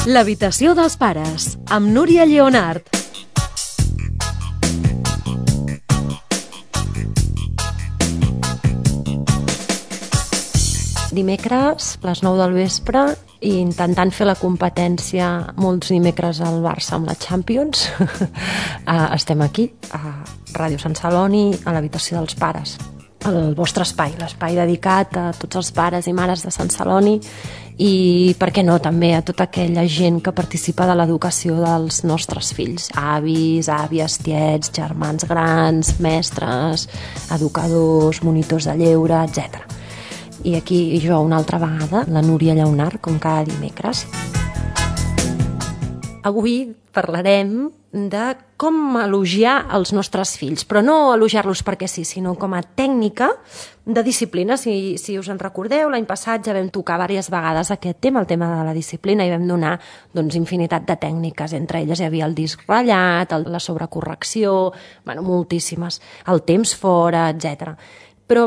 L'habitació dels pares, amb Núria Lleonart. Dimecres, a les 9 del vespre, i intentant fer la competència molts dimecres al Barça amb la Champions, estem aquí, a Ràdio Sant Celoni, a l'habitació dels pares. El vostre espai, l'espai dedicat a tots els pares i mares de Sant Celoni i, per què no, també a tota aquella gent que participa de l'educació dels nostres fills, avis, àvies, tiets, germans grans, mestres, educadors, monitors de lleure, etc. I aquí jo una altra vegada, la Núria Lleonart, com cada dimecres. Avui parlarem de com elogiar els nostres fills, però no elogiar-los perquè sí, sinó com a tècnica de disciplina. Si us en recordeu, l'any passat ja vam tocar diverses vegades aquest tema, el tema de la disciplina, i vam donar infinitat de tècniques. Entre elles hi havia el disc ratllat, la sobrecorrecció, moltíssimes, el temps fora, etc. Però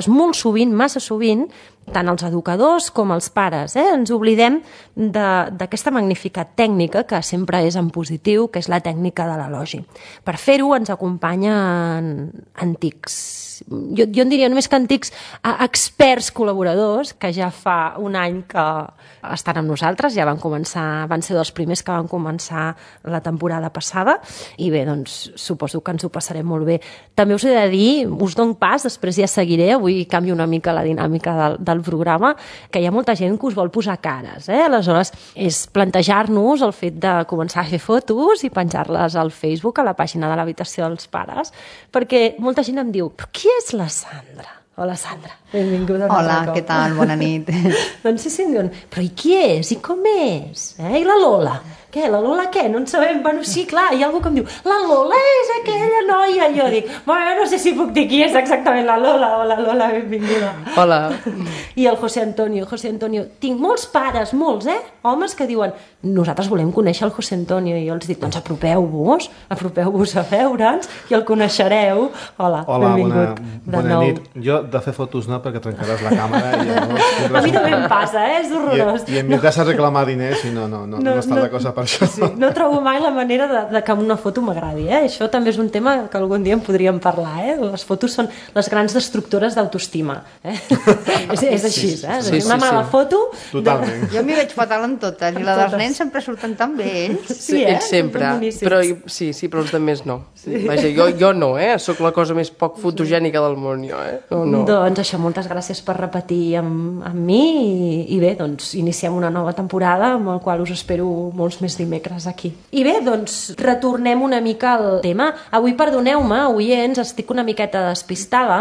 molt sovint, massa sovint, tant els educadors com els pares, ens oblidem d'aquesta magnífica tècnica que sempre és en positiu, que és la tècnica de l'elogi. Per fer-ho ens acompanyen antics, jo en diria només que antics, experts col·laboradors, que ja fa un any que estan amb nosaltres, ja van ser dels primers que van començar la temporada passada, i bé, suposo que ens ho passarem molt bé. També us he de dir, us dono pas, després ja seguiré, avui canvio una mica la dinàmica del programa, que hi ha molta gent que us vol posar cares, aleshores és plantejar-nos el fet de començar a fer fotos i penjar-les al Facebook, a la pàgina de l'habitació dels pares, perquè molta gent em diu, però qui és la Sandra? Hola, Sandra, benvinguda. Hola, què tal? Bona nit. Doncs sí, em diuen, però i qui és? I com és? I la Lola? Què, la Lola què? No en sabem. Bueno, sí, clar, hi ha algú que em diu, la Lola és aquella noia. I jo dic, bueno, no sé si puc dir qui és exactament la Lola. Hola, Lola, benvinguda. Hola. I el José Antonio, tinc molts pares, molts, homes que diuen, nosaltres volem conèixer el José Antonio. I jo els dic, doncs apropeu-vos a veure'ns i el coneixereu. Hola, benvingut. Bona nit. Jo de fer fotos no, perquè trencaràs la càmera. A mi també em passa, és horrorós. I em vindràs a reclamar diners i no està la cosa per això. Sí, no trobo mai la manera de que una foto m'agradi. Això també és un tema que algun dia en podríem parlar. Les fotos són les grans destructores d'autoestima. És així, una mala foto... Totalment. Jo m'hi veig fatal en totes, i la dels nens sempre surten tan bé, ells. Sí, ells sempre. Però però els altres no. Vaja, jo no, sóc la cosa més poc fotogènica del món, jo, no. Doncs això, moltes gràcies per repetir amb mi i bé, doncs iniciem una nova temporada amb el qual us espero molts més dimecres aquí. I bé, doncs retornem una mica al tema. Avui, perdoneu-me, oients, estic una miqueta despistada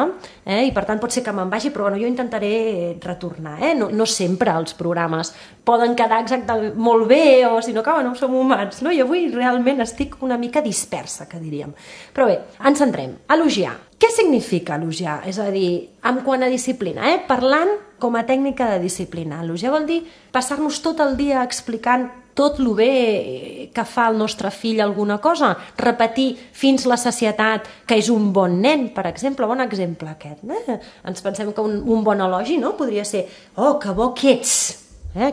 i per tant pot ser que me'n vagi, però jo intentaré retornar. No sempre els programes poden quedar exactament molt bé o sinó que som humans, no? I avui realment estic una mica dispersa, que diríem. Però bé, ens centrem. Elogiar. Què significa elogiar? És a dir, en quant a disciplina, parlant com a tècnica de disciplina. Elogiar vol dir passar-nos tot el dia explicant tot el bé que fa el nostre fill alguna cosa, repetir fins la sacietat que és un bon nen, per exemple, bon exemple aquest. Ens pensem que un bon elogi podria ser, oh, que bo que ets,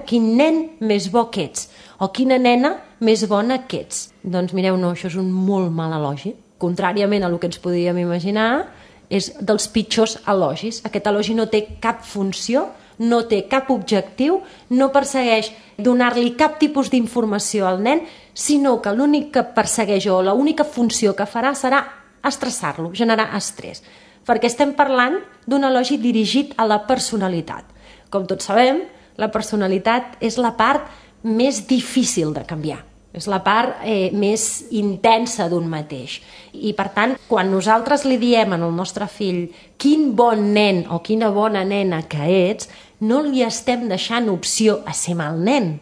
quin nen més bo que ets, o quina nena més bona que ets. Doncs mireu, no, això és un molt mal elogi. Contràriament a el que ens podíem imaginar, és dels pitjors elogis. Aquest elogi no té cap funció, no té cap objectiu, no persegueix donar-li cap tipus d'informació al nen, sinó que l'únic que persegueix o l'única funció que farà serà estressar-lo, generar estrès. Perquè estem parlant d'un elogi dirigit a la personalitat. Com tots sabem, la personalitat és la part més difícil de canviar. És la part més intensa d'un mateix. I, per tant, quan nosaltres li diem al nostre fill quin bon nen o quina bona nena que ets, no li estem deixant opció a ser mal nen.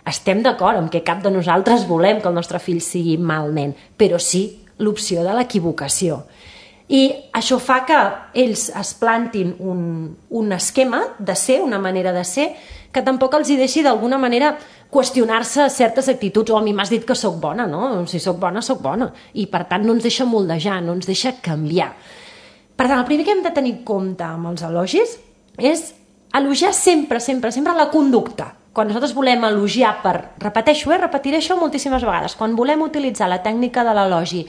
Estem d'acord amb que cap de nosaltres volem que el nostre fill sigui mal nen, però sí l'opció de l'equivocació. I això fa que ells es plantin un esquema de ser, una manera de ser, que tampoc els hi deixi d'alguna manera qüestionar-se certes actituds. O a mi m'has dit que sóc bona, no? Si sóc bona, sóc bona. I per tant no ens deixa moldejar, no ens deixa canviar. Per tant, el primer que hem de tenir en compte amb els elogis és elogiar sempre, sempre, sempre la conducta. Quan nosaltres volem elogiar repeteixo, repetiré això moltíssimes vegades, quan volem utilitzar la tècnica de l'elogi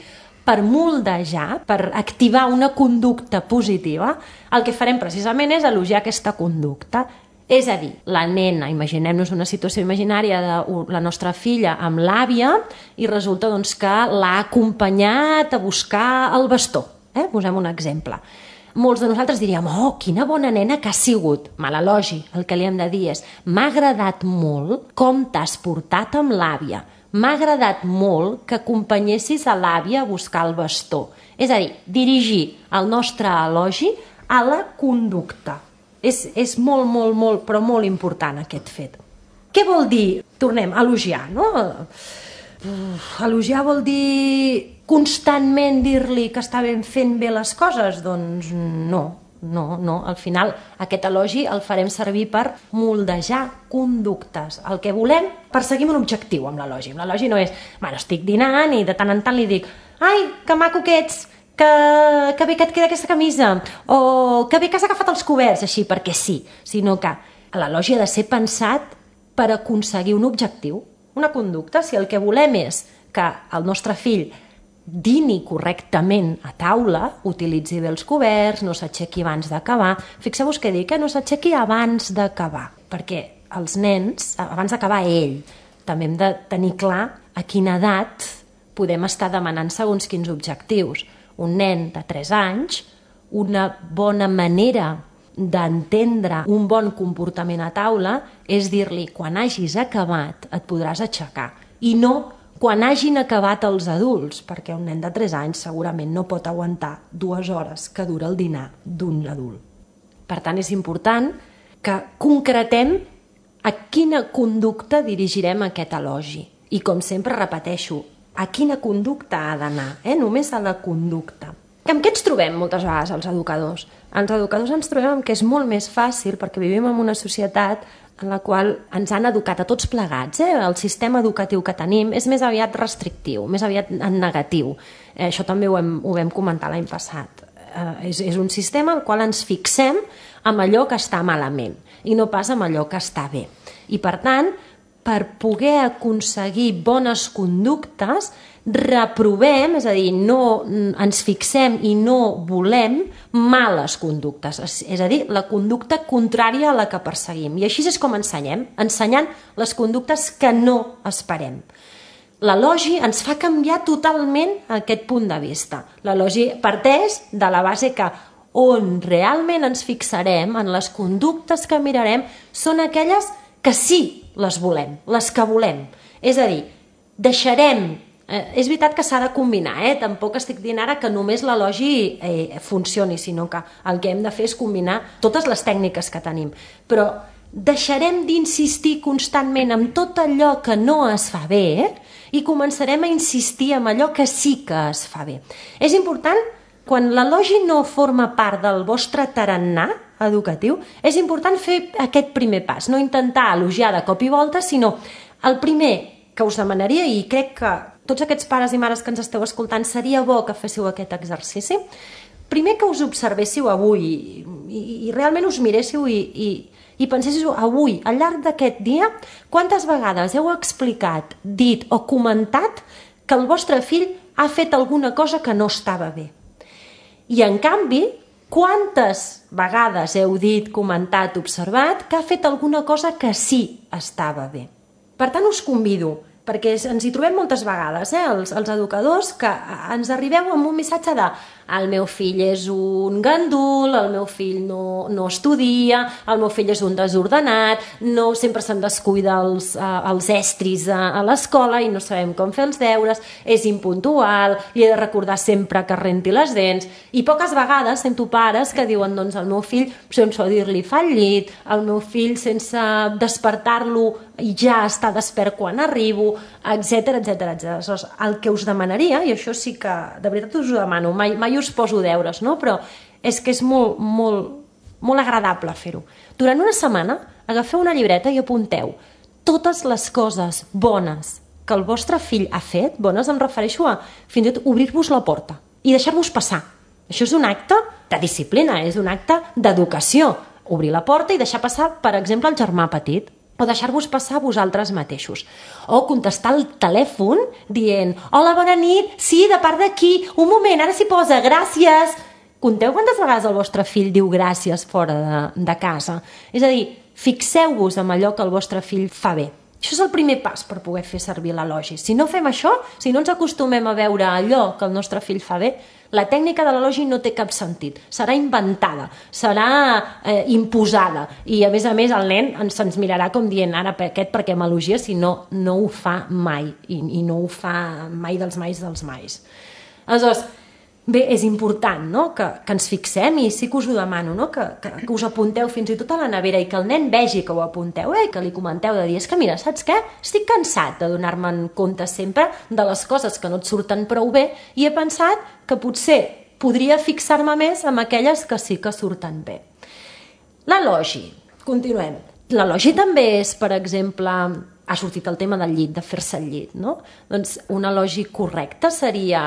per moldejar, per activar una conducta positiva, el que farem precisament és elogiar aquesta conducta. És a dir, la nena, imaginem-nos una situació imaginària de la nostra filla amb l'àvia i resulta doncs, que l'ha acompanyat a buscar el bastó. Posem un exemple. Molts de nosaltres diríem, oh, quina bona nena que ha sigut. Mal elogi, el que li hem de dir és, m'ha agradat molt com t'has portat amb l'àvia. M'ha agradat molt que acompanyessis a l'àvia a buscar el bastó. És a dir, dirigir el nostre elogi a la conducta. És molt, molt, molt, però molt important aquest fet. Què vol dir? Tornem, elogiar, no? Elogiar vol dir constantment dir-li que està fent bé les coses? Doncs no. Al final aquest elogi el farem servir per moldejar conductes. El que volem, perseguim un objectiu amb l'elogi. L'elogi no és, bueno, estic dinant i de tant en tant li dic, ai, que maco que ets, que bé que et queda aquesta camisa, o que bé que has agafat els coberts, així perquè sí, sinó que l'elogi ha de ser pensat per aconseguir un objectiu, una conducta. Si el que volem és que el nostre fill dini correctament a taula, utilitzi bé els coberts, no s'aixequi abans d'acabar. Fixeu-vos que dic que no s'aixequi abans d'acabar, perquè els nens, abans d'acabar ell, també hem de tenir clar a quina edat podem estar demanant segons quins objectius. Un nen de 3 anys, una bona manera d'entendre un bon comportament a taula és dir-li, quan hagis acabat et podràs aixecar, i no quan hagin acabat els adults, perquè un nen de 3 anys segurament no pot aguantar 2 hores que dura el dinar d'un adult. Per tant, és important que concretem a quina conducta dirigirem aquest elogi. I com sempre repeteixo, a quina conducta ha d'anar, només a la conducta. Amb què ens trobem moltes vegades els educadors? Els educadors ens trobem que és molt més fàcil, perquè vivim en una societat en la qual ens han educat a tots plegats. El sistema educatiu que tenim és més aviat restrictiu, més aviat en negatiu. Això també ho vam comentar l'any passat. És un sistema al qual ens fixem amb allò que està malament i no pas amb allò que està bé. I per tant, per poder aconseguir bones conductes, reprovem, és a dir, no ens fixem i no volem males conductes, és a dir, la conducta contrària a la que perseguim. I així és com ensenyem, ensenyant les conductes que no esperem. L'elogi ens fa canviar totalment aquest punt de vista. L'elogi parteix de la base que on realment ens fixarem, en les conductes que mirarem, són aquelles que sí les volem, les que volem. És a dir, deixarem... És veritat que s'ha de combinar, tampoc estic dient ara que només l'elogi funcioni, sinó que el que hem de fer és combinar totes les tècniques que tenim. Però deixarem d'insistir constantment en tot allò que no es fa bé i començarem a insistir en allò que sí que es fa bé. És important, quan l'elogi no forma part del vostre tarannà educatiu, és important fer aquest primer pas, no intentar elogiar de cop i volta, sinó el primer que us demanaria, i crec que tots aquests pares i mares que ens esteu escoltant seria bo que féssiu aquest exercici, primer que us observéssiu avui i realment us miréssiu i penséssiu avui, al llarg d'aquest dia, quantes vegades heu explicat, dit o comentat que el vostre fill ha fet alguna cosa que no estava bé. I en canvi, quantes vegades heu dit, comentat, observat que ha fet alguna cosa que sí estava bé. Per tant, us convido, perquè ens hi trobem moltes vegades, els educadors, que ens arribeu amb un missatge de el meu fill és un gandul, el meu fill no estudia, el meu fill és un desordenat, sempre se'n descuida els estris a l'escola i no sabem com fer els deures, és impuntual, li he de recordar sempre que renti les dents, i poques vegades sento pares que diuen, doncs el meu fill sense dir-li fa el llit, el meu fill sense despertar-lo i ja està despert quan arribo, etc. El que us demanaria, i això sí que de veritat us ho demano, mai us poso deures, no? Però és que és molt agradable fer-ho. Durant una setmana agafeu una llibreta i apunteu totes les coses bones que el vostre fill ha fet, bones em refereixo a fins i tot obrir-vos la porta i deixar-vos passar. Això és un acte de disciplina, és un acte d'educació. Obrir la porta i deixar passar, per exemple, el germà petit. o deixar-vos passar vosaltres mateixos. O contestar al telèfon dient hola, bona nit, sí, de part d'aquí, un moment, ara s'hi posa, gràcies. Conteu quantes vegades el vostre fill diu gràcies fora de casa. És a dir, fixeu-vos en allò que el vostre fill fa bé. Això és el primer pas per poder fer servir l'elogi. Si no fem això, si no ens acostumem a veure allò que el nostre fill fa bé, la tècnica de l'elogi no té cap sentit. Serà inventada, serà imposada. I a més el nen se'ns mirarà com dient ara aquest per què m'elogia si no ho fa mai. I no ho fa mai dels mais dels mais. Aleshores, bé, és important, no?, que ens fixem, i sí que us ho demano, no?, que us apunteu fins i tot a la nevera i que el nen vegi que ho apunteu, que li comenteu de dir, és que mira, saps què? Estic cansat de donar-me'n compte sempre de les coses que no et surten prou bé i he pensat que potser podria fixar-me més en aquelles que sí que surten bé. L'elogi, continuem. L'elogi també és, per exemple, ha sortit el tema del llit, de fer-se el llit, no? Doncs un elogi correcte seria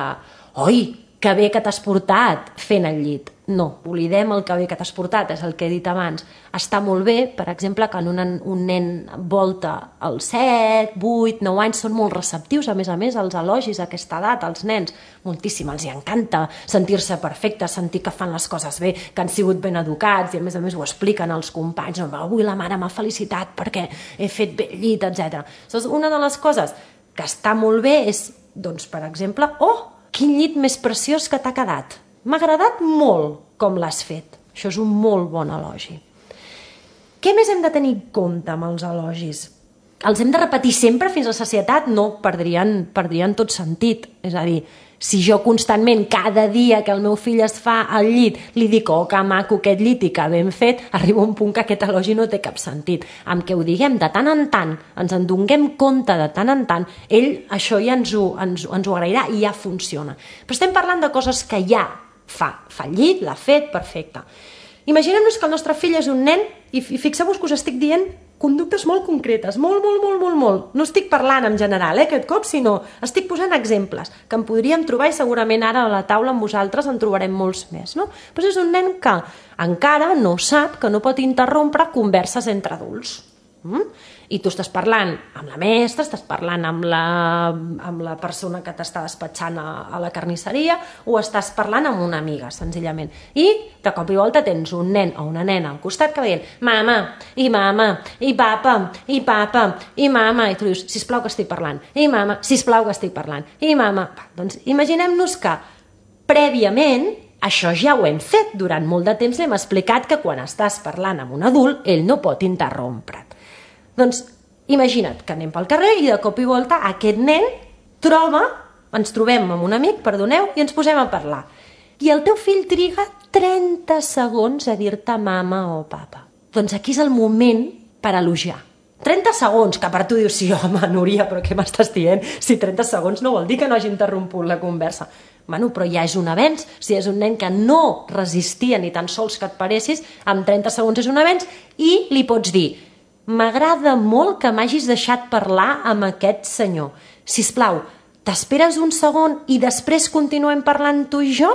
oi, que bé que t'has portat fent el llit. No, oblidem el que bé que t'has portat, és el que he dit abans. Està molt bé, per exemple, que un nen volta als 7, 8, 9 anys, són molt receptius, a més, els elogis a aquesta edat, als nens, moltíssim, els hi encanta sentir-se perfectes, sentir que fan les coses bé, que han sigut ben educats, i a més ho expliquen als companys, avui la mare m'ha felicitat perquè he fet bé el llit, etc. Llavors, una de les coses que està molt bé és, doncs, per exemple, quin llit més preciós que t'ha quedat. M'ha agradat molt com l'has fet. Això és un molt bon elogi. Què més hem de tenir en compte amb els elogis? Els hem de repetir sempre fins a sacietat? No, perdrien tot sentit. És a dir, si jo constantment, cada dia que el meu fill es fa al llit, li dic, que maco aquest llit i que ben fet, arriba un punt que aquest elogi no té cap sentit. Amb què ho diguem de tant en tant, ens en donem compte de tant en tant, ell això ja ens ho agrairà i ja funciona. Però estem parlant de coses que ja fa el llit, l'ha fet, perfecte. Imaginem-nos que el nostre fill és un nen i fixeu-vos que us estic dient conductes molt concretes, molt. No estic parlant en general, aquest cop, sinó estic posant exemples que en podríem trobar i segurament ara a la taula amb vosaltres en trobarem molts més, no? Però és un nen que encara no sap que no pot interrompre converses entre adults. I tu estàs parlant amb la mestra, estàs parlant amb la persona que t'està despatxant a la carnisseria o estàs parlant amb una amiga, senzillament. I de cop i volta tens un nen o una nena al costat que va dient mama, i papa, i mama, i tu dius, sisplau que estic parlant, i mama, sisplau que estic parlant, i mama. Doncs imaginem-nos que prèviament això ja ho hem fet, durant molt de temps hem explicat que quan estàs parlant amb un adult ell no pot interrompre't. Doncs imagina't que anem pel carrer i de cop i volta aquest nen ens trobem amb un amic, perdoneu, i ens posem a parlar. I el teu fill triga 30 segons a dir-te mama o papa. Doncs aquí és el moment per elogiar. 30 segons, que per tu dius, sí, home, Núria, però què m'estàs dient? Si 30 segons no vol dir que no hagi interromput la conversa. Bueno, però ja és un avenç. Si és un nen que no resistia ni tan sols que et paressis, amb 30 segons és un avenç i li pots dir m'agrada molt que m'hagis deixat parlar amb aquest senyor. Sisplau, t'esperes un segon i després continuem parlant tu i jo?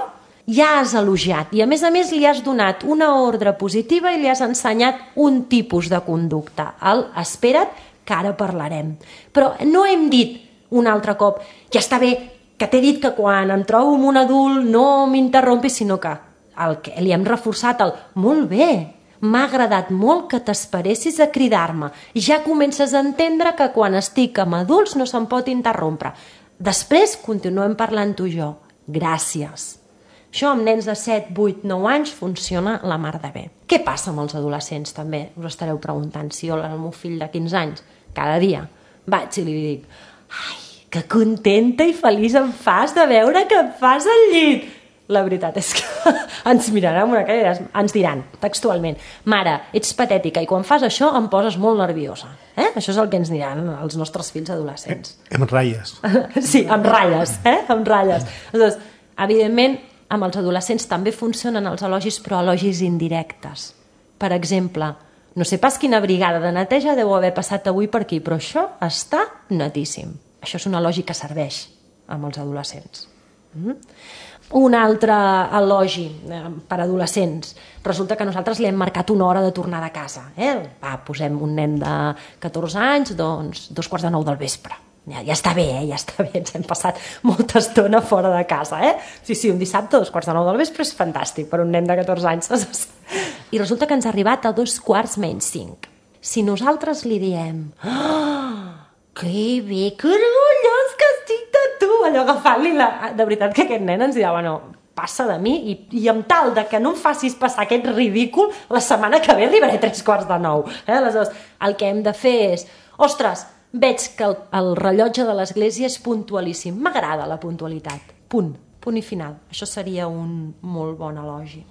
Ja has elogiat i a més li has donat una ordre positiva i li has ensenyat un tipus de conducta. Espera't que ara parlarem. Però no hem dit un altre cop, ja està bé, que t'he dit que quan em trobo amb un adult no m'interrompis, sinó que li hem reforçat molt bé. M'ha agradat molt que t'esperessis a cridar-me. Ja comences a entendre que quan estic amb adults no se'm pot interrompre. Després continuem parlant tu i jo. Gràcies. Això amb nens de 7, 8, 9 anys funciona la mar de bé. Què passa amb els adolescents també? Us estareu preguntant si jo el meu fill de 15 anys cada dia vaig i li dic ai, que contenta i feliç em fas de veure que em fas al llit. La veritat és que ens miraran amb una cara i ens diran textualment mare, ets patètica i quan fas això em poses molt nerviosa. Això és el que ens diran els nostres fills adolescents. Amb ratlles. Sí, amb ratlles. Amb ratlles. Llavors, evidentment, amb els adolescents també funcionen els elogis, però elogis indirectes. Per exemple, no sé pas quina brigada de neteja deu haver passat avui per aquí, però això està netíssim. Això és un elogi que serveix amb els adolescents. Un altre elogi per adolescents. Resulta que nosaltres li hem marcat una hora de tornada a casa. Posem un nen de 14 anys, doncs 2:45 del vespre. Ja està bé, ja està bé, ens hem passat molta estona fora de casa. Sí, un dissabte a 2:45 del vespre és fantàstic per un nen de 14 anys. I resulta que ens ha arribat a 2:45. Si nosaltres li diem que bé, que orgullós que estic de tu, allò agafant-li de veritat que aquest nen ens dirà, passa de mi i amb tal de que no em facis passar aquest ridícul, la setmana que ve arribaré a 8:45. Aleshores, el que hem de fer és, ostres, veig que el rellotge de l'església és puntualíssim, m'agrada la puntualitat, punt i final. Això seria un molt bon elogi.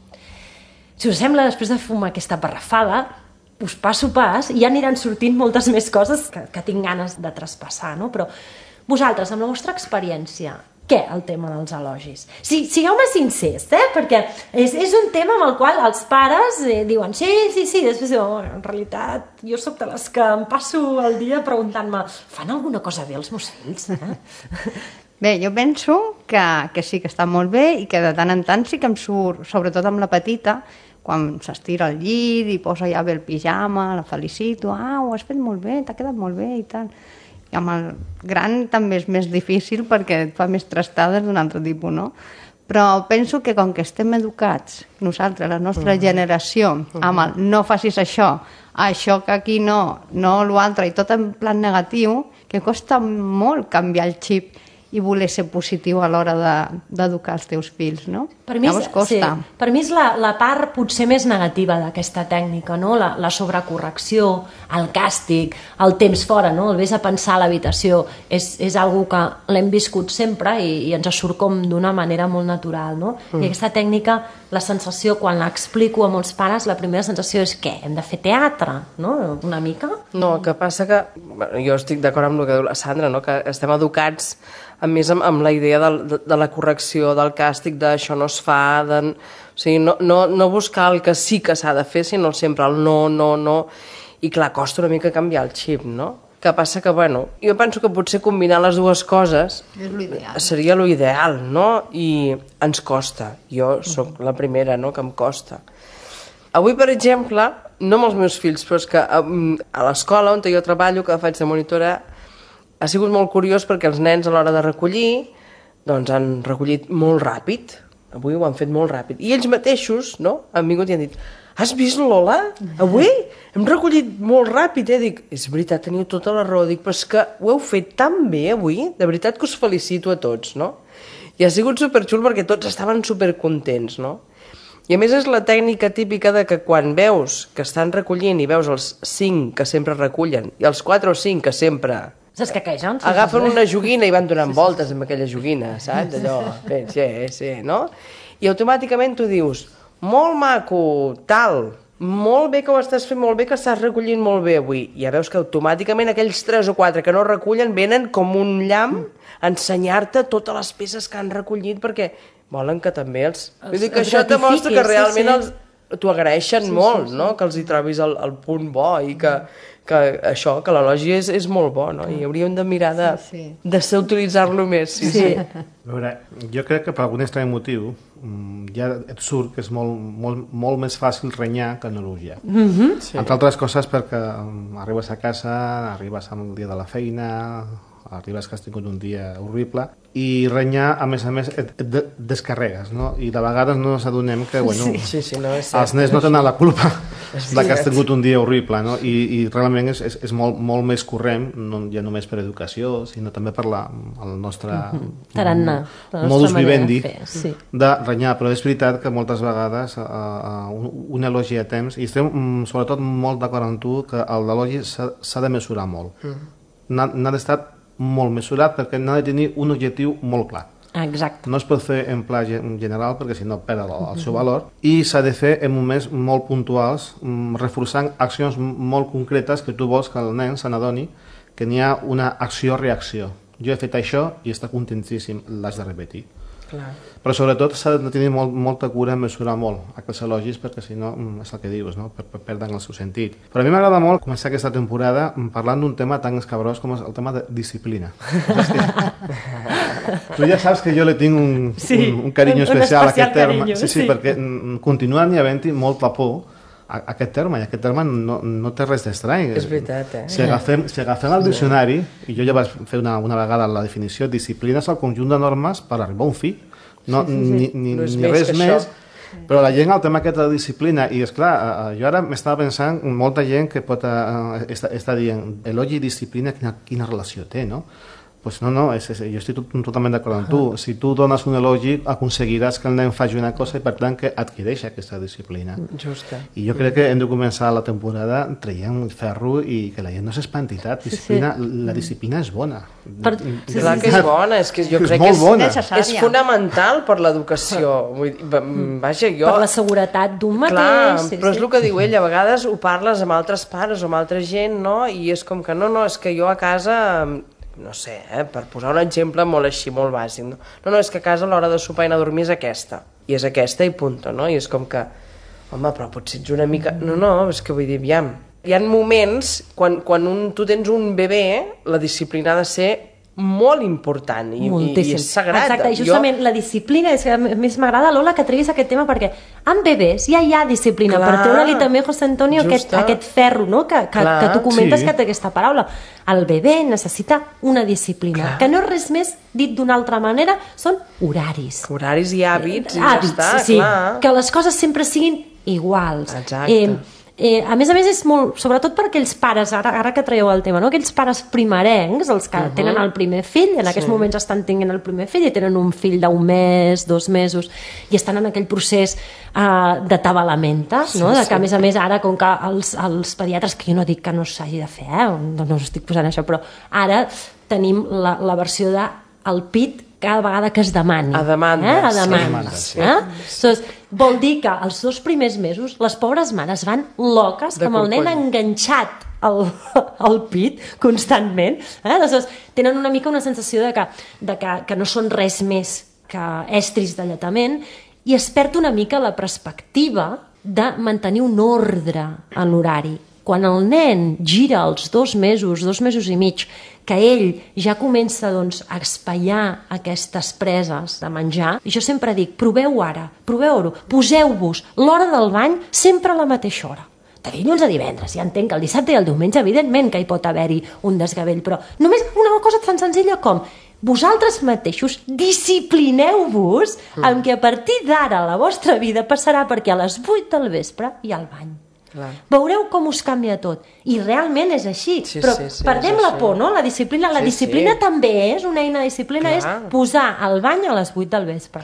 Si us sembla, després de fumar aquesta parrafada, us passo pas i ja aniran sortint moltes més coses que tinc ganes de traspassar, no? Però vosaltres, amb la vostra experiència, què el tema dels elogis? Sigueu-me sincers, perquè és un tema amb el qual els pares diuen sí, després diuen, en realitat jo sóc de les que em passo el dia preguntant-me, fan alguna cosa bé els meus fills? Bé, jo penso que sí que està molt bé i que de tant en tant sí que em surt, sobretot amb la petita, quan s'estira al llit i posa ja bé el pijama, la felicito, ho has fet molt bé, t'ha quedat molt bé i tal. I amb el gran també és més difícil perquè et fa més trastades d'un altre tipus, no? Però penso que com que estem educats, nosaltres, la nostra generació, amb el no facis això que aquí no l'altre, i tot en plan negatiu, que costa molt canviar el xip i voler ser positiu a l'hora d'educar els teus fills, no? Per mi és la part potser més negativa d'aquesta tècnica, no? La sobrecorrecció, el càstig, el temps fora, no? El vés a pensar a l'habitació, és algo que l'hem viscut sempre i ens surt com d'una manera molt natural, no? I aquesta tècnica, la sensació, quan l'explico a molts pares, la primera sensació és què? Hem de fer teatre, no? Una mica? No, que passa que, jo estic d'acord amb el que diu la Sandra, no? Que estem educats a més amb la idea de la correcció, del càstig, d'això no es fa, o sigui, no buscar el que sí que s'ha de fer, sinó sempre el no, i clar, costa una mica canviar el xip, no? Que passa que, jo penso que potser combinar les dues coses seria l'ideal, no? I ens costa, jo sóc la primera, no?, que em costa. Avui, per exemple, no amb els meus fills, però és que a l'escola on jo treballo, que faig de monitora, ha sigut molt curiós perquè els nens a l'hora de recollir doncs han recollit molt ràpid. Avui ho han fet molt ràpid. I ells mateixos, no?, han vingut i han dit has vist, Lola? Avui hem recollit molt ràpid, Dic, és veritat, teniu tota la raó. Dic, però és que ho heu fet tan bé avui, de veritat que us felicito a tots, no? I ha sigut superxul perquè tots estaven supercontents, no? I a més és la tècnica típica de que quan veus que estan recollint i veus els 5 que sempre recullen i els 4 o 5 que sempre agafen una joguina i van donant voltes amb aquella joguina, saps? Allò, sí, no? I automàticament tu dius, molt maco, tal, molt bé que ho estàs fent, molt bé que estàs recollint molt bé avui. I ja veus que automàticament aquells 3 o 4 que no recullen venen com un llamp a ensenyar-te totes les peces que han recollit perquè volen que també els... Vull dir que això et demostra que realment t'ho agraeixen molt, no? Que els hi trobis el punt bo i que això, que l'elogi és molt bo, no? I hauríem de mirar de ser utilitzar-lo més. Sí. A veure, jo crec que per algun estrany motiu ja et surt que és molt més fàcil renyar que no elogiar. Entre altres coses perquè arribes a casa, arribes al dia de la feina, arribes que has tingut un dia horrible i renyar, a més, et descarregues, no? I de vegades no ens adonem que, bueno, els nens no tenen la culpa de que has tingut un dia horrible, no? I realment és molt més corrent, no ja només per educació, sinó també per el nostre modus vivendi de renyar, però és veritat que moltes vegades un elogi a temps, i estem sobretot molt d'acord amb tu que l'elogi s'ha de mesurar molt. N'ha d'estar molt mesurat perquè n'ha de tenir un objectiu molt clar. Exacte. No es pot fer en pla general perquè si no perd el seu valor i s'ha de fer en moments molt puntuals reforçant accions molt concretes que tu vols que el nen se n'adoni que n'hi ha una acció-reacció. Jo he fet això i està contentíssim, l'has de repetir. Clar. Però sobretot s'ha de tenir molta cura en mesurar molt aquests elogis, perquè si no, és el que dius, no? Perden el seu sentit. Però a mi m'agrada molt començar aquesta temporada parlant d'un tema tan escabrós com és el tema de disciplina. Tu ja saps que jo le tinc un carinyo especial a aquest terme. Sí, perquè continua n'hi havent-hi molta por a aquest terme, i aquest terme no té res d'estrany. És veritat, Si agafem el diccionari, i jo ja vaig fer una vegada la definició, disciplina és el conjunt de normes per arribar a un fi. Ni res més, però la gent el tema aquest de la disciplina, i esclar, jo ara m'estava pensant molta gent que pot estar dient elogi i disciplina, quina relació té, no? Pues no, jo estic totalment d'acord amb tu. Si tu dones un elogi, aconseguiràs que el nen faci una cosa i per tant que adquireix aquesta disciplina. Justa. I jo crec que hem de començar la temporada traient ferro i que la gent no s'espanti tant. La disciplina és bona. Clar que és bona, és que jo crec que és fonamental per l'educació. Vaja, jo... Per la seguretat d'un mateix. Clar, però és el que diu ell, a vegades ho parles amb altres pares o amb altra gent, no? I és com que no, és que jo a casa... no sé, per posar un exemple molt així, molt bàsic, no, és que a casa l'hora de sopar i anar a dormir és aquesta, i és aquesta i punto, no? I és com que, home, però potser ets una mica... No, és que vull dir, aviam, hi ha moments, quan tu tens un bebè, la disciplina ha de ser molt important i és sagrat. Exacte, i justament la disciplina, és que a més m'agrada, Lola, que treguis aquest tema, perquè amb bebès ja hi ha disciplina. Per treure-li també, José Antonio, aquest ferro, no? que tu comentes que té aquesta paraula. El bebè necessita una disciplina, que no és res més, dit d'una altra manera, són horaris. Horaris i hàbits, i ja està, clar. Que les coses sempre siguin iguals. Exacte. A més, és molt, sobretot per aquells pares, ara que traieu el tema, no? Aquells pares primerencs, els que tenen el primer fill, en aquests moments estan tenint el primer fill i tenen un fill d'1 mes, 2 mesos, i estan en aquell procés de tabalamenta, no? Que a més ara, com que els pediatres, que jo no dic que no s'hagi de fer, no estic posant això, però ara tenim la versió del pit cada vegada que es demani. A demanda. A demanda. Vol dir que els 2 primers mesos les pobres mares van loques amb el nen enganxat al pit constantment. Aleshores, tenen una mica una sensació que no són res més que estris de lletament, i es perd una mica la perspectiva de mantenir un ordre en l'horari. Quan el nen gira els 2 mesos, 2 mesos i mig, que ell ja comença a espaiar aquestes preses de menjar, i jo sempre dic, proveu-ho, poseu-vos l'hora del bany sempre a la mateixa hora. De dilluns a divendres, ja entenc que el dissabte i el diumenge, evidentment que hi pot haver-hi un desgavell, però només una cosa tan senzilla com vosaltres mateixos disciplineu-vos amb que a partir d'ara la vostra vida passarà perquè a les 8 del vespre hi ha el bany. Clar. Veureu com us canvia tot, i realment és així, però perdem la por, no? La disciplina també és una eina de disciplina, és posar el bany a les 8 del vespre.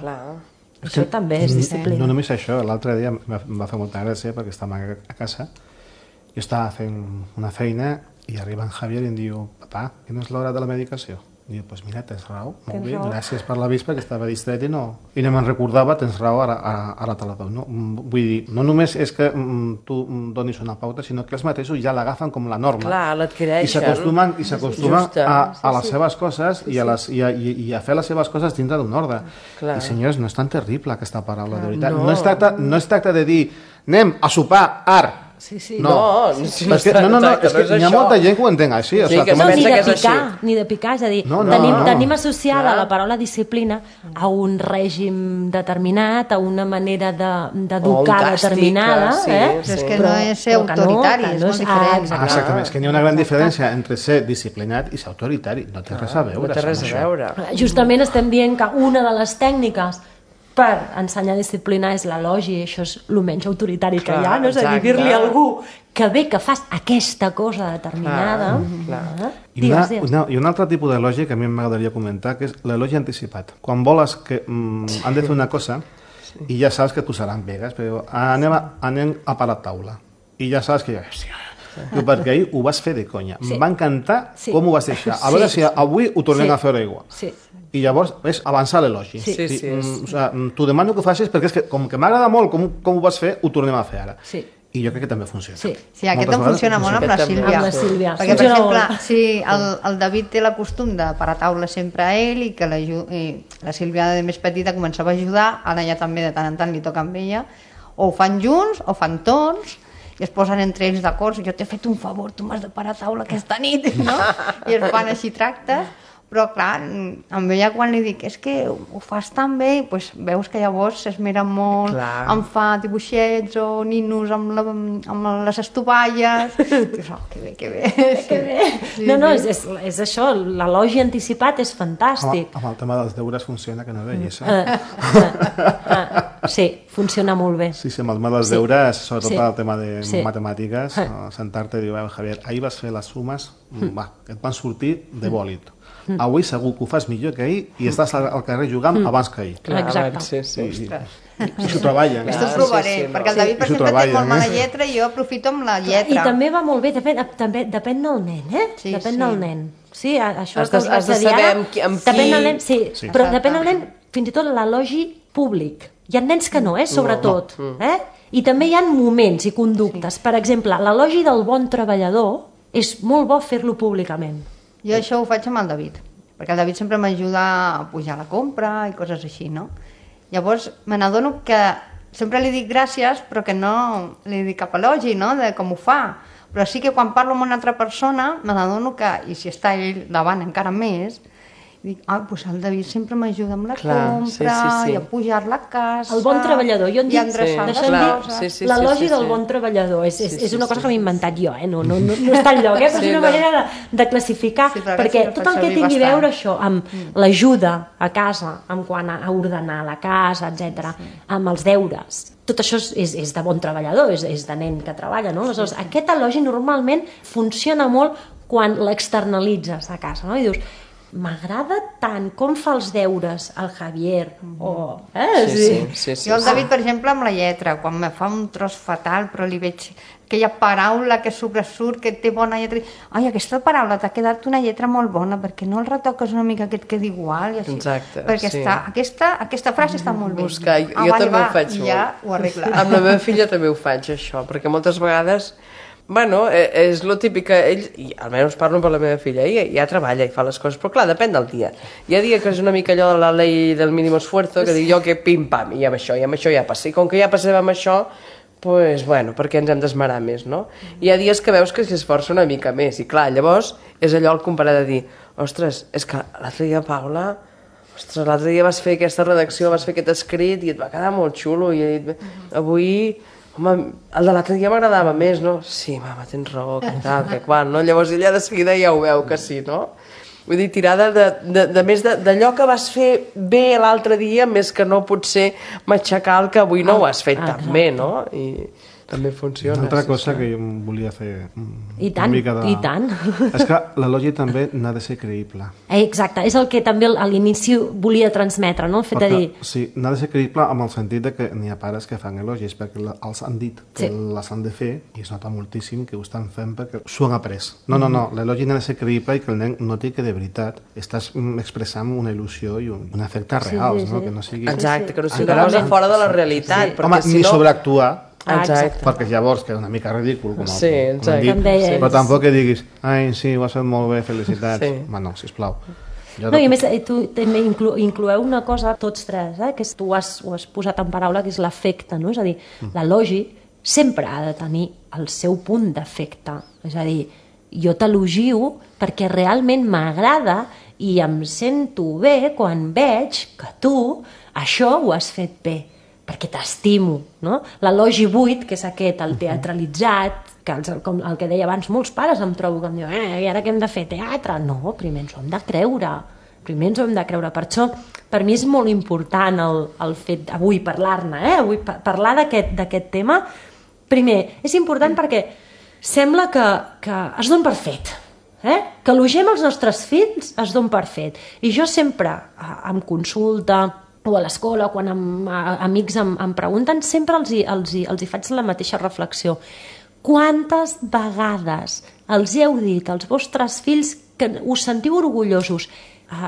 Això també és disciplina. No només això, l'altre dia em va fer molta gràcia perquè estàvem a casa, jo estava fent una feina i arriba en Javier i em diu, papà, quina és l'hora de la medicació? I diu, pues mira, tens raó, molt bé, gràcies per l'avís perquè estava distret i no me'n recordava, tens raó, ara te la dono. Vull dir, no només és que tu donis una pauta, sinó que els mateixos ja l'agafen com la norma. Clar, l'adquireixen. I s'acostumen a les seves coses i a fer les seves coses dintre d'un ordre. I senyors, no és tan terrible aquesta paraula, de veritat. No es tracta de dir, anem a sopar, ara. No, és que hi ha molta gent que ho entén així. Ni de picar, és a dir, tenim associada la paraula disciplina a un règim determinat, a una manera d'educar determinada. És que no és ser autoritari, és molt diferent. Exactament, és que hi ha una gran diferència entre ser disciplinat i ser autoritari. No té res a veure. Justament estem dient que una de les tècniques per ensenyar disciplina és l'elogi, això és el menys autoritari que hi ha, no? És a dir, dir-li a algú que bé que fas aquesta cosa determinada. I un altre tipus d'elogi que a mi m'agradaria comentar, que és l'elogi anticipat. Quan voles que han de fer una cosa i ja saps que posaran pegues, però anem a parar taula i ja saps que perquè ahir ho vas fer de conya. Em va encantar com ho vas deixar. A veure si avui ho tornem a fer igual. I llavors és avançar l'elogi. T'ho demano que ho facis perquè és que com que m'agrada molt com ho vas fer, ho tornem a fer ara. I jo crec que també funciona. Sí. Sí, aquest em funciona molt amb la Sílvia. Amb la Sílvia. Perquè, per Funciona exemple, molt. sí, el David té la costum de parar taula sempre a ell i que la Sílvia de més petita començava a ajudar, ara ja també de tant en tant li toca amb ella, o ho fan junts o fan tots, i es posen entre ells d'acord, jo t'he fet un favor, tu m'has de parar taula aquesta nit, no? I es fan així tractes, però clar, amb ella quan li dic és que ho fas tan bé, doncs veus que llavors s'esmera molt, Clar. em fa dibuixets o ninos amb les estovalles, dius, oh, que bé, que bé. Que bé. Sí, No, sí. és això, l'elogi anticipat és fantàstic. Amb el tema dels deures funciona, que no veies. Sí, funciona molt bé. Sí, amb el tema dels deures, sobretot Sí. el tema de Sí. matemàtiques, sentar-te i dir, Javier, ahir vas fer les sumes, va, et van sortir de bòlit. Avui segur que ho fas millor que ahir i estàs al carrer jugant abans que ahir. Clar, Exacte. Sí, sí. I s'ho treballen. Esto ho sí, provaré, sí, no. perquè el David, per I s'ho exemple, té treballen, molt mala eh? lletra i jo aprofito amb la I lletra. també va molt bé, depèn del nen, eh? Sí, Depèn sí. del nen. Sí, això Has de- que us vaig has de a dir saber ara, amb qui- depèn del nen, sí, Sí. però depèn del nen, fins i tot l'elogi públic. Hi ha nens que no, sobretot. I també hi ha moments i conductes. Per exemple, l'elogi del bon treballador és molt bo fer-lo públicament. Jo això ho faig amb el David, perquè el David sempre m'ajuda a pujar la compra i coses així, no? Llavors me n'adono que sempre li dic gràcies, però que no li dic cap elogi, no?, de com ho fa. Però sí que quan parlo amb una altra persona me n'adono que, i si està ell davant encara més, dic, doncs el David sempre m'ajuda amb la Clar, compra sí. i a pujar-la a casa. El bon treballador, jo en i dic, a endreçar les clar, coses. sí. l'elogi del bon treballador és una cosa que m'he inventat jo, no està enlloc, però és una manera de classificar, Sí, però perquè aquest sí tot el el que faig tingui servir a veure bastant. això amb l'ajuda a casa, amb quant a ordenar la casa, etc, amb els deures, tot això és de bon treballador, és de nen que treballa, no? Aleshores, aquest elogi normalment funciona molt quan l'externalitzes a casa, no? I dius, m'agrada tant com fa els deures el Javier, o... Sí. Jo el David, per exemple, amb la lletra, quan me fa un tros fatal, però li veig aquella paraula que sobresurt, que té bona lletra, ai, aquesta paraula t'ha quedat una lletra molt bona, perquè no el retoques una mica que et quedi igual, i així. Exacte, perquè sí. aquesta frase està molt bé. Buscar, jo també ho faig molt. Ja ho arregla. Amb la meva filla també ho faig, això, perquè moltes vegades, bueno, és lo típic que ell, i almenys parlo per la meva filla, ella ja treballa i fa les coses, però clar, depèn del dia. Hi ha dia que és una mica allò de la llei del mínim esfuerzo, que dic jo que pim-pam, i amb això ja passa. I com que ja passem amb això, pues, bueno, perquè ens hem d'esmerar més, no? Hi ha dies que veus que s'esforça una mica més, i clar, llavors és allò el comparar de dir, ostres, és que l'altre dia, Paula, l'altre dia vas fer aquesta redacció, vas fer aquest escrit i et va quedar molt xulo, i avui... Home, el de l'altre dia m'agradava més, no? Sí, mama, tens raó, que tal, que quan, no? Llavors ella de seguida ja ho veu que sí, no? Vull dir, tirada de més d'allò que vas fer bé l'altre dia, més que no potser matxacar el que avui no ho has fet tan bé, no? I també funciona. Una altra cosa que jo volia fer I tant, una mica de... i tant. És que l'elogi també n'ha de ser creïble. Exacte, és el que també a l'inici volia transmetre, no? El fet de dir... Sí, n'ha de ser creïble amb el sentit de que n'hi ha pares que fan elogis perquè els han dit que les han de fer i es nota moltíssim que ho estan fent perquè s'ho han après. No, l'elogi n'ha de ser creïble i que el nen noti que de veritat estàs expressant una il·lusió i un efecte reals, no? Que no sigui... Exacte, que no sigui una cosa fora de la realitat. Home, Si ni no... sobreactuar, Exacte. perquè llavors queda una mica ridícul, com Sí, hem exacte. dit, Com deies. però tampoc que diguis ai, sí, ho has fet molt bé, felicitats. Sí. Home, no, sisplau. No, i a més, tu també incloeu una cosa, tots tres, que tu ho has posat en paraula, que és l'efecte, no? És a dir, l'elogi sempre ha de tenir el seu punt d'efecte. És a dir, jo t'elogio perquè realment m'agrada i em sento bé quan veig que tu això ho has fet bé, perquè t'estimo, no? L'elogi buit, que és aquest, el teatralitzat, que com el que deia abans, molts pares em trobo que em diuen, i ara què hem de fer, teatre? No, primer ens ho hem de creure, per això per mi és molt important el fet avui parlar-ne, avui parlar d'aquest tema. Primer, és important perquè sembla que es don per fet, que elogiem els nostres fills es don per fet, i jo sempre em consulta o a l'escola, quan amics em pregunten, sempre els hi faig la mateixa reflexió. Quantes vegades els heu dit als vostres fills que us sentiu orgullosos?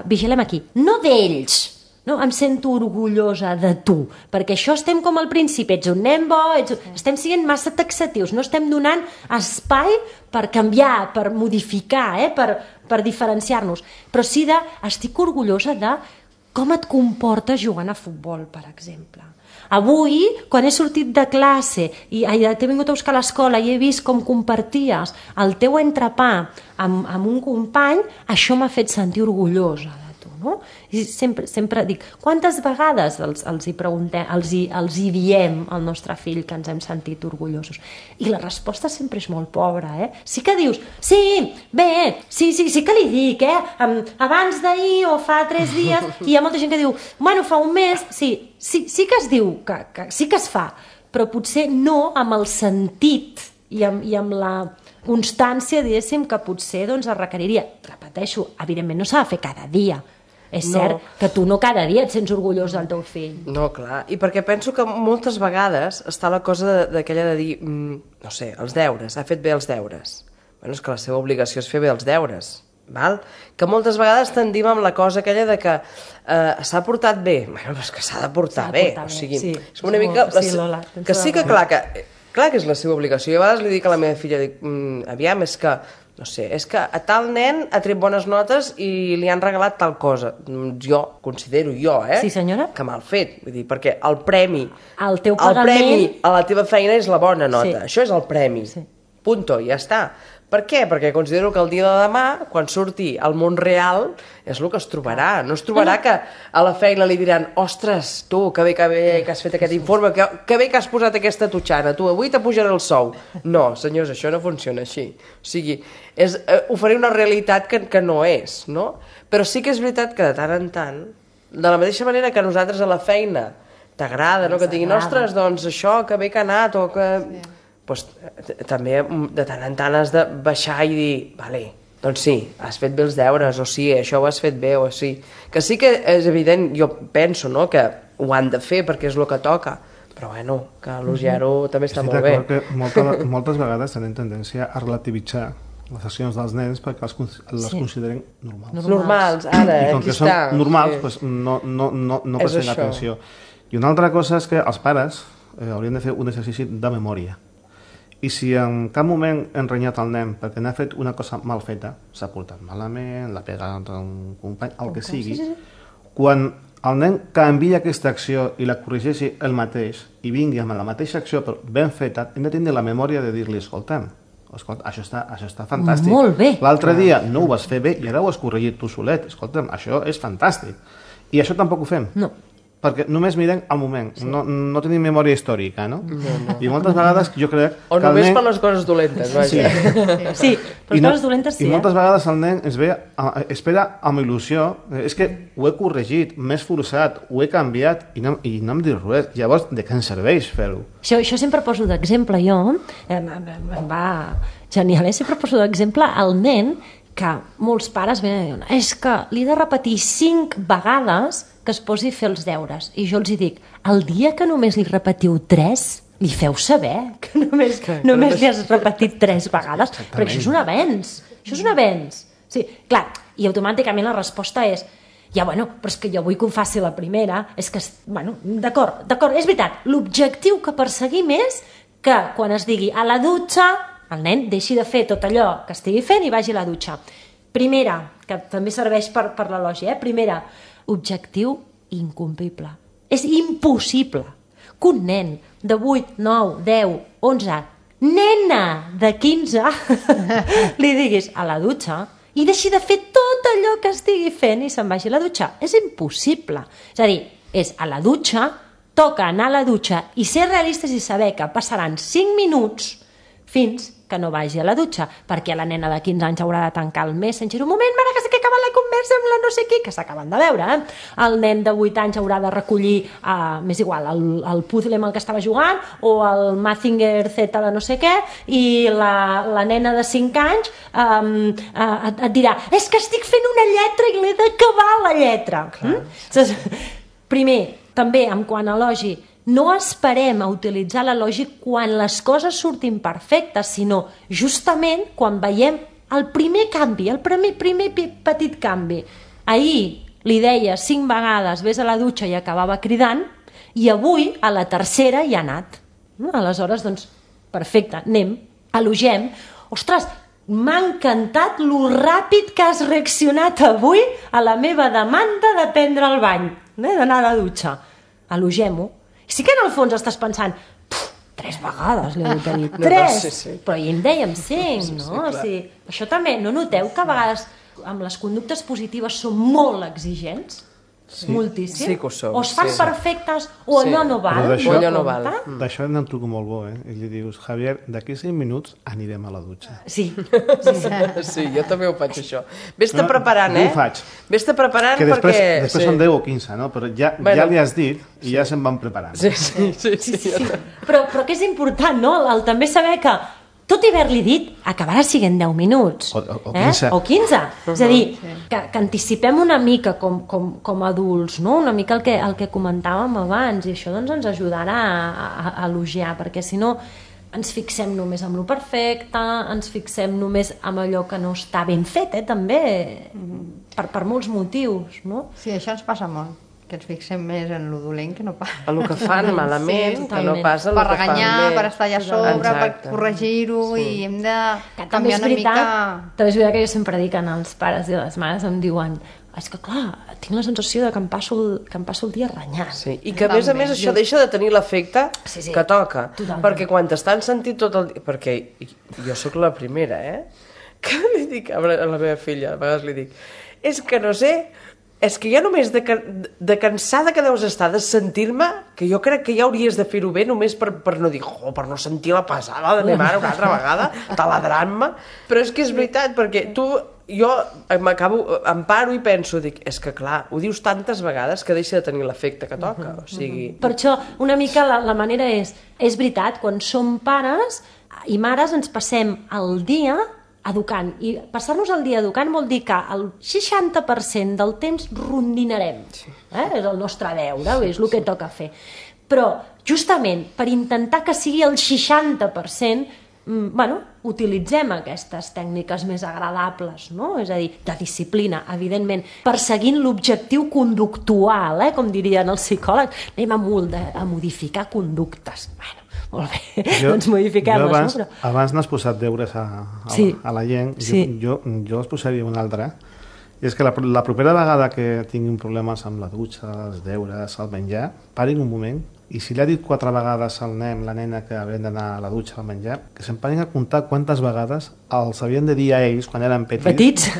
Vigilem aquí, no d'ells, no? Em sento orgullosa de tu, perquè això estem com al principi, ets un nen bo, estem sent massa taxatius, no estem donant espai per canviar, per modificar, per diferenciar-nos, però sí estic orgullosa de com et comportes jugant a futbol, per exemple. Avui, quan he sortit de classe i t'he vingut a buscar a l'escola i he vist com comparties el teu entrepà amb un company, això m'ha fet sentir orgullosa de tu, no? I sempre dic, quantes vegades els hi preguntem, els hi diem al nostre fill que ens hem sentit orgullosos? I la resposta sempre és molt pobra, Sí que dius, sí que li dic, abans d'ahir o fa 3 dies, i hi ha molta gent que diu, bueno, fa un mes, sí que es diu, que sí que es fa, però potser no amb el sentit i amb la constància, diguéssim, que potser es requeriria. Repeteixo, evidentment no s'ha de fer cada dia. És cert que tu no cada dia et sents orgullós del teu fill. No, clar. I perquè penso que moltes vegades està la cosa d'aquella de dir, no sé, els deures, ha fet bé els deures. Bueno, és que la seva obligació és fer bé els deures. Val? Que moltes vegades tendim amb la cosa aquella de que s'ha portat bé. Bueno, és que s'ha de portar bé. O sigui, és una mica... Que sí que clar que és la seva obligació. Jo a vegades li dic a la meva filla, aviam, és que no sé, és que a tal nen ha tret bones notes i li han regalat tal cosa. Jo, considero Sí, senyora? que mal fet. Vull dir, perquè el premi el teu pagament a la teva feina és la bona nota. Això és el premi. Punto, ja està. Per què? Perquè considero que el dia de demà, quan surti al món real, és el que es trobarà. No es trobarà que a la feina li diran, ostres, tu, que bé que has fet aquest informe, que bé que has posat aquesta totxana, tu, avui t'apujaré el sou. No, senyors, això no funciona així. O sigui, és oferir una realitat que no és, no? Però sí que és veritat que de tant en tant, de la mateixa manera que a nosaltres a la feina t'agrada, no? Que diguin, ostres, doncs això, que bé que ha anat, o que... Pues, també de tant en tant has de baixar i dir, vale, doncs sí, has fet bé els deures, o sí, això ho has fet bé, o sí. Que sí que és evident, jo penso, no?, que ho han de fer perquè és el que toca, però bueno, que elogiar-ho també està molt bé. Estic d'acord que moltes vegades tenen tendència a relativitzar les accions dels nens perquè les consideren normals. Normals, ara, i com aquí que està. són normals, pues no presten atenció. I una altra cosa és que els pares haurien de fer un exercici de memòria. I si en cap moment hem renyat el nen perquè n'ha fet una cosa mal feta, s'ha portat malament, l'ha pegat a un company, el que sigui, quan el nen canvia aquesta acció i la corregeixi el mateix i vingui amb la mateixa acció però ben feta, hem de tenir la memòria de dir-li, escolta, això està fantàstic. Molt bé. L'altre dia no ho vas fer bé i ara ho has corregit tu solet. Escolta, això és fantàstic. I això tampoc ho fem. No. Perquè només mirem al moment, no tenim memòria històrica, no? I moltes vegades jo crec o que només per les coses dolentes, vaja. Sí, per les coses dolentes sí. I moltes vegades el nen espera amb il·lusió, és que ho he corregit, m'he esforçat, ho he canviat i no em dius res. Llavors, de què ens serveix fer-ho? Això sempre poso d'exemple jo, em va genial, sempre poso d'exemple el nen que molts pares venen i diuen, és que li he de repetir 5 vegades que es posi a fer els deures. I jo els dic, el dia que només li repetiu 3, li feu saber que només li has repetit 3 vegades. Perquè això és un avenç. Això és un avenç. Sí, clar, i automàticament la resposta és, ja, bueno, però és que jo vull que ho faci la primera. És que, bueno, d'acord, és veritat. L'objectiu que perseguim és que quan es digui a la dutxa, el nen deixi de fer tot allò que estigui fent i vagi a la dutxa. Primera, que també serveix per l'elogi, primera, objectiu incomplible. És impossible que un nen de 8, 9, 10, 11, nena de 15, li diguis a la dutxa i deixi de fer tot allò que estigui fent i se'n vagi a la dutxa. És impossible. És a dir, és a la dutxa, toca anar a la dutxa i ser realistes i saber que passaran 5 minuts fins que no vagi a la dutxa, perquè la nena de 15 anys haurà de tancar el Messenger. Un moment, mare, que s'ha acabat la conversa amb la no sé qui, que s'acaben de veure. El nen de 8 anys haurà de recollir, m'és igual, el puzzle amb el que estava jugant, o el Mazinger Z de no sé què, i la nena de 5 anys et dirà, és que estic fent una lletra i l'he d'acabar la lletra. Primer, també, en quant a elogi, no esperem a utilitzar l'elogi quan les coses surtin perfectes, sinó justament quan veiem el primer canvi, el primer petit canvi. Ahir li deia 5 vegades vés a la dutxa i acabava cridant, i avui a la tercera hi ha anat. Aleshores, doncs, perfecte, anem, elogiem. Ostres, m'ha encantat lo ràpid que has reaccionat avui a la meva demanda de prendre el bany, d'anar a la dutxa. Elogem-ho. Sí que en el fons estàs pensant 3 vegades li he de dir 3, però hi en dèiem 5, no? Això també, no noteu que a vegades amb les conductes positives som molt exigents? Moltíssim. Sí que ho som. O es fan perfectes o allò no val. Allò no val. D'això n'hi ha un truc molt bo, I li dius, Javier, d'aquí 5 minuts anirem a la dutxa. Sí. Sí, jo també ho faig, això. Vés-te preparant, Jo ho faig. Vés-te preparant que perquè... Després són 10 o 15, no? Però ja li has dit i ja se'n van preparant. Sí. Però que és important, no? El també saber que tot i haver-li dit, acabarà sent 10 minuts. O 15. O 15. És a dir, que anticipem una mica com a adults, no? Una mica el que comentàvem abans, i això doncs, ens ajudarà a elogiar, perquè si no ens fixem només en lo perfecte, ens fixem només en allò que no està ben fet, també, per molts motius, no? Sí, això ens passa molt, que ens fixem més en lo dolent que no pas. En el que fan malament, que no passa en el per que fan bé. regañar, per estar allà a sobre, per corregir-ho, i hem de canviar una mica... També és veritat que jo sempre dic en els pares i les mares em diuen és que clar, tinc la sensació de que em passo el dia renyant. Sí, i que a més això deixa de tenir l'efecte que toca. Totalment. Perquè quan t'estan sentint tot el dia... Perquè jo sóc la primera, que li dic a la meva filla, a vegades li dic, és que no sé, és que ja només de cansada que deus estar de sentir-me, que jo crec que ja hauries de fer-ho bé només per no dir, per no sentir la pesada de la meva mare una altra vegada, taladrant-me, però és que és veritat, perquè jo em paro i penso, dic, és que clar, ho dius tantes vegades que deixa de tenir l'efecte que toca, o sigui... Per això, una mica la manera és veritat, quan som pares i mares ens passem el dia educant, i passar-nos el dia educant vol dir que el 60% del temps rondinarem, és el nostre deure, és el que toca fer, però justament per intentar que sigui el 60%, utilitzem aquestes tècniques més agradables, no? És a dir, de disciplina, evidentment, perseguint l'objectiu conductual, com dirien els psicòlegs, anem a modificar conductes. Molt bé, doncs modifiquem-les. Abans n'has posat deures a la gent, jo els posaria un altre, i és que la propera vegada que tinguin problemes amb la dutxa, els deures, el menjar, parin un moment, i si li ha dit 4 vegades al nen, la nena, que havien d'anar a la dutxa al menjar, que se'n parin a comptar quantes vegades els havien de dir a ells quan eren petits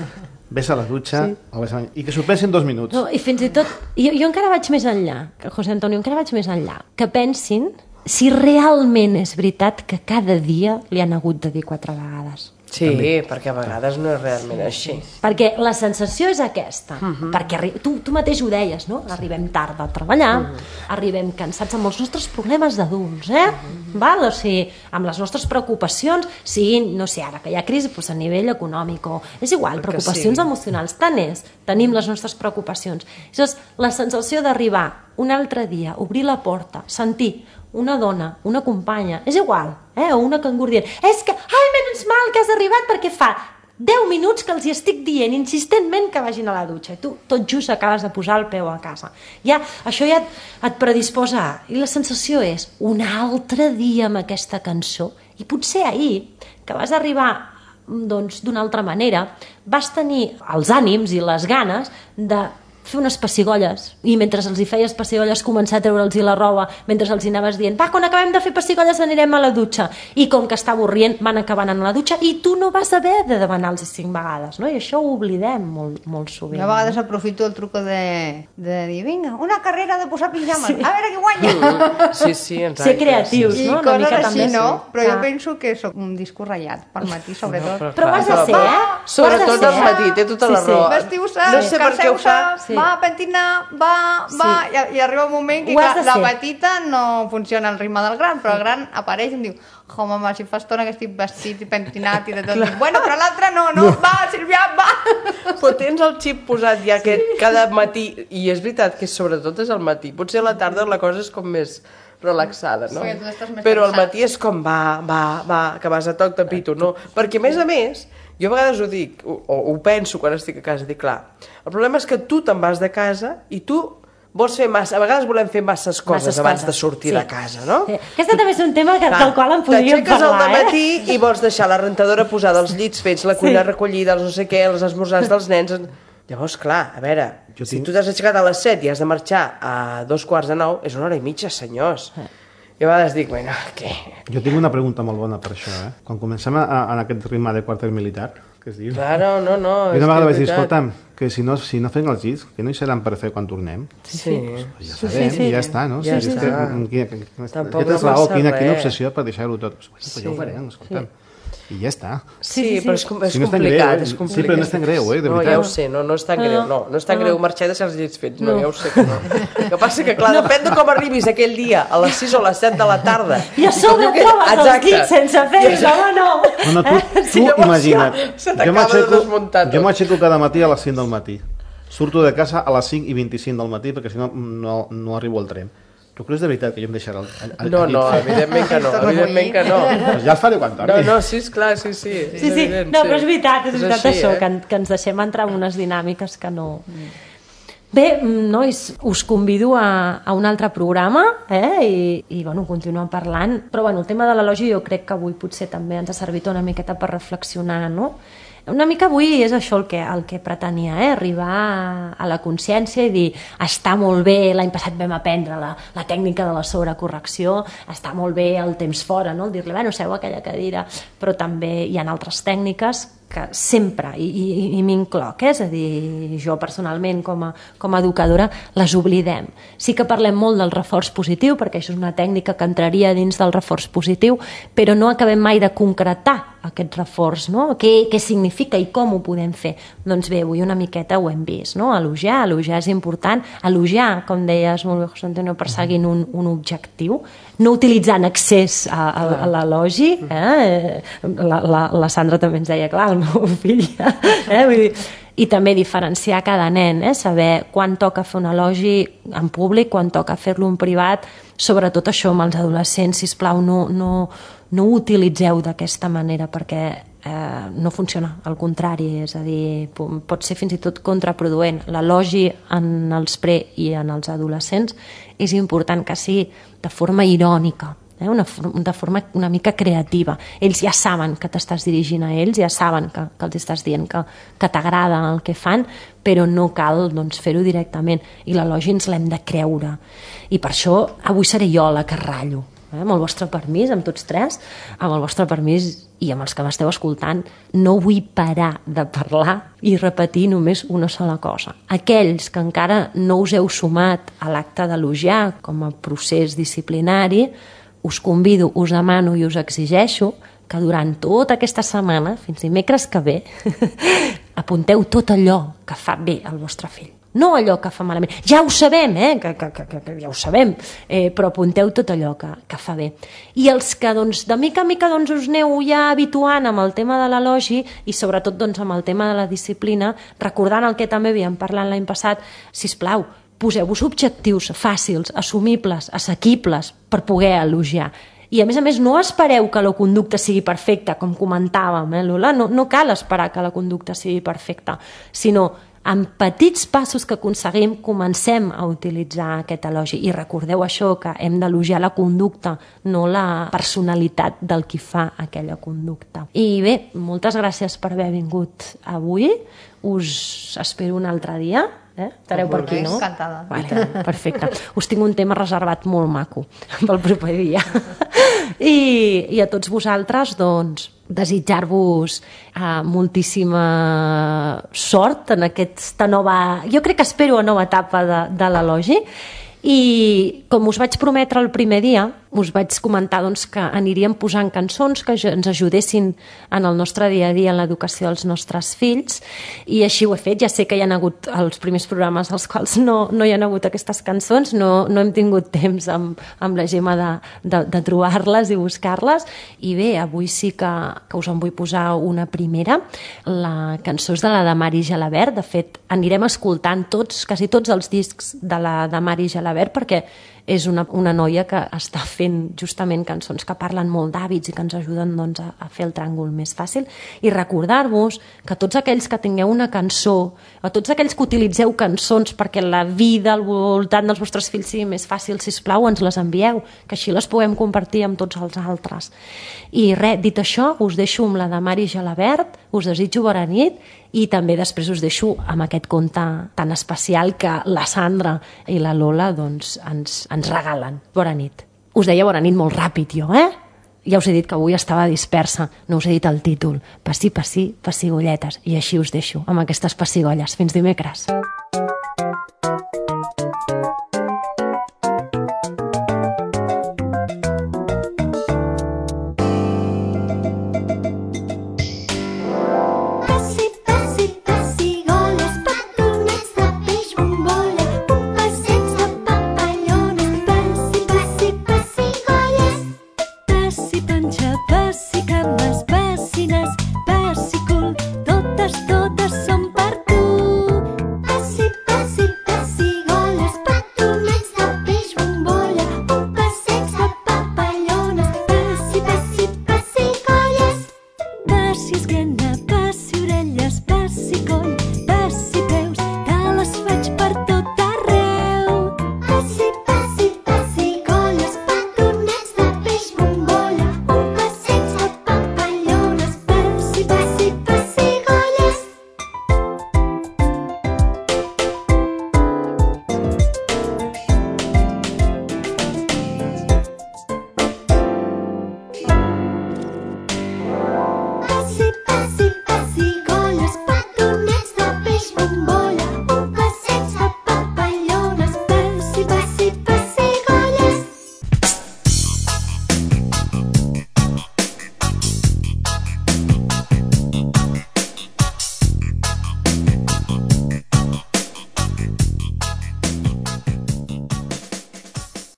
vés a la dutxa o vés a menjar, i que s'ho pensin 2 minuts. No, i fins i tot, jo encara vaig més enllà, José Antonio, que pensin si realment és veritat que cada dia li han hagut de dir 4 vegades. Sí, perquè a vegades no és realment així. Perquè la sensació és aquesta, perquè tu mateix ho deies, no? Arribem tard a treballar, arribem cansats amb els nostres problemes d'adults, Val? O sigui, amb les nostres preocupacions, siguin, no sé, ara que hi ha crisi, doncs a nivell econòmic, o és igual, preocupacions emocionals, tant és, tenim les nostres preocupacions. Llavors, la sensació d'arribar un altre dia, obrir la porta, sentir una dona, una companya, és igual, o una cangur dient, és que, ai, menys mal que has arribat perquè fa 10 minuts que els hi estic dient insistentment que vagin a la dutxa, i tu tot just acabes de posar el peu a casa. Això ja et predisposa, i la sensació és un altre dia amb aquesta cançó, i potser ahir, que vas arribar d'una altra manera, vas tenir els ànims i les ganes de fer unes pessigolles, i mentre els hi feies pessigolles començar a treure'ls la roba, mentre els hi anaves dient, va, quan acabem de fer pessigolles anirem a la dutxa, i com que està avorrient van acabar anant a la dutxa, i tu no vas haver de demanar-los 5 vegades, no? I això ho oblidem molt sovint. Jo a vegades aprofito el truco de dir, vinga, una carrera de posar pijames, a veure qui guanya. Sí, exacte. Ser creatius, no? I coses així, no? Però jo penso que sóc un disco ratllat pel matí, sobretot. Però ho has de ser, Sobretot al matí, té tota la raó. Vestiu-se, no sé per què ho fa. Va, pentina, va, i arriba un moment que la petita no funciona al ritme del gran, però el gran apareix i em diu, mama, si fa estona que estic vestit i pentinat i de tot, bueno, però l'altre no, va, Sílvia, va. Però tens el xip posat ja que cada matí, i és veritat que sobretot és al matí, potser a la tarda la cosa és com més relaxada, no? Però al matí és com va, que vas a toc de pito, no? Perquè a més, Jo a vegades ho dic, o ho penso quan estic a casa, dic, clar, el problema és que tu te'n vas de casa i tu vols fer massa... A vegades volem fer masses coses abans de sortir de casa, no? Sí. Aquest també és un tema del qual en podríem parlar, al dematí i vols deixar la rentadora posada, els llits fets, la cuina recollida, els no sé què, els esmorzars dels nens... Llavors, clar, a veure, si tu t'has aixecat a les 7 i has de marxar a 8:45, és 1h30, senyors. I a vegades dic, bueno, què? Jo tinc una pregunta molt bona per això, eh? Quan comencem en aquest ritme de quarter militar, que es diu... Claro, no. I una vegada vaig dir, escolta'm, que si no fem els llits, que no hi seran per fer quan tornem. Sí. Pues ja sabem, i ja està, no? Ja està. Tampoc no passa res. Quina obsessió per deixar-ho tot. Pues ja ho farem, escolta'm. I ja està. Sí, però és complicat, és complicat. Sí, però no és tan greu, de veritat. No, ja ho sé, no és tan greu, no és tan greu marxar i deixar els llits fets, no, ja ho sé que no. El que passa que, clar, depèn de com arribis aquell dia, a les 6 o a les 7 de la tarda. I a sobre trobes els llits sense fer, home, no. No, tu imagina't. Se t'acaba de desmuntar tot. Jo m'aixeco cada matí a les 5 del matí. Surto de casa a les 5:25 del matí perquè si no, no arribo al tren. Tu creus de veritat que jo em deixaré el No, evidentment que no, evidentment que no. Pues ja el faré quan torni. No, sí, esclar, sí. Sí, no, però és veritat això, que ens deixem entrar en unes dinàmiques que no... Bé, nois, us convido a un altre programa i bueno, continuem parlant, però bueno, el tema de l'elogi jo crec que avui potser també ens ha servit una miqueta per reflexionar, no? Una mica avui és això el que pretenia, arribar a la consciència i dir, està molt bé, l'any passat vam aprendre la tècnica de la sobrecorrecció, està molt bé el temps fora, no? Dir-li, bueno, seu a aquella cadira, però també hi ha altres tècniques que sempre, i m'incloc, és a dir, jo personalment com a educadora, les oblidem. Sí que parlem molt del reforç positiu, perquè això és una tècnica que entraria dins del reforç positiu, però no acabem mai de concretar aquest reforç, no? Què significa i com ho podem fer? Doncs bé, avui una miqueta ho hem vist, no? Elogiar és important, elogiar, com deies molt bé, José Antonio, perseguint un objectiu, no utilitzar en excés a l'elogi, la Sandra també ens deia, clar, el meu fill, vull dir, i també diferenciar cada nen, saber quan toca fer un elogi en públic, quan toca fer-lo en privat, sobretot això amb els adolescents, sisplau, no ho utilitzeu d'aquesta manera perquè no funciona, al contrari, és a dir, pot ser fins i tot contraproduent. L'elogi en els pre i en els adolescents és important que sigui de forma irònica, de forma una mica creativa. Ells ja saben que t'estàs dirigint a ells, ja saben que els estàs dient que t'agrada el que fan, però no cal fer-ho directament, i l'elogi ens l'hem de creure. I per això avui seré jo la que ratllo, amb el vostre permís, amb tots tres, amb el vostre permís i amb els que m'esteu escoltant, no vull parar de parlar i repetir només una sola cosa. Aquells que encara no us heu sumat a l'acte d'elogiar com a procés disciplinari, us convido, us demano i us exigeixo que durant tota aquesta setmana, fins dimecres que ve, apunteu tot allò que fa bé al vostre fill. No allò que fa malament. Ja ho sabem, que ja ho sabem, però apunteu tot allò que fa bé. I els que de mica en mica us aneu ja habituant amb el tema de l'elogi i sobretot amb el tema de la disciplina, recordant el que també havíem parlat l'any passat, sisplau, poseu-vos objectius fàcils, assumibles, assequibles per poder elogiar. I a més, no espereu que la conducta sigui perfecta, com comentàvem, Lola? No cal esperar que la conducta sigui perfecta, sinó amb petits passos que aconseguim comencem a utilitzar aquest elogi. I recordeu això, que hem d'elogiar la conducta, no la personalitat del qui fa aquella conducta. I bé, moltes gràcies per haver vingut avui. Us espero un altre dia. Estareu per aquí, no? Encantada. Vale, perfecte. Us tinc un tema reservat molt maco pel proper dia. I a tots vosaltres, desitjar-vos moltíssima sort en aquesta nova... Jo crec que espero una nova etapa de l'elogi. I com us vaig prometre el primer dia, us vaig comentar que aniríem posant cançons que ens ajudessin en el nostre dia a dia en l'educació dels nostres fills, i així ho he fet. Ja sé que hi ha hagut els primers programes als quals no hi ha hagut aquestes cançons, no hem tingut temps amb la Gemma de trobar-les i buscar-les, i bé, avui sí que us en vull posar una primera. La cançó és de la Mari Gelabert. De fet, anirem escoltant quasi tots els discs de la Mari Gelabert, perquè és una noia que està fent justament cançons que parlen molt d'hàbits i que ens ajuden doncs, a fer el tràngol més fàcil, i recordar-vos que tots aquells que tingueu una cançó, o tots aquells que utilitzeu cançons perquè la vida al voltant dels vostres fills sigui més fàcil, sisplau, ens les envieu, que així les puguem compartir amb tots els altres. I res, dit això, us deixo amb la de Mari Gelabert, us desitjo bona nit, i també després us deixo amb aquest conte tan especial que la Sandra i la Lola doncs, ens regalen. Bona nit. Us deia bona nit molt ràpid jo, Ja us he dit que avui estava dispersa, no us he dit el títol. Passi, passi, pessigolletes. I així us deixo, amb aquestes pessigolles. Fins dimecres.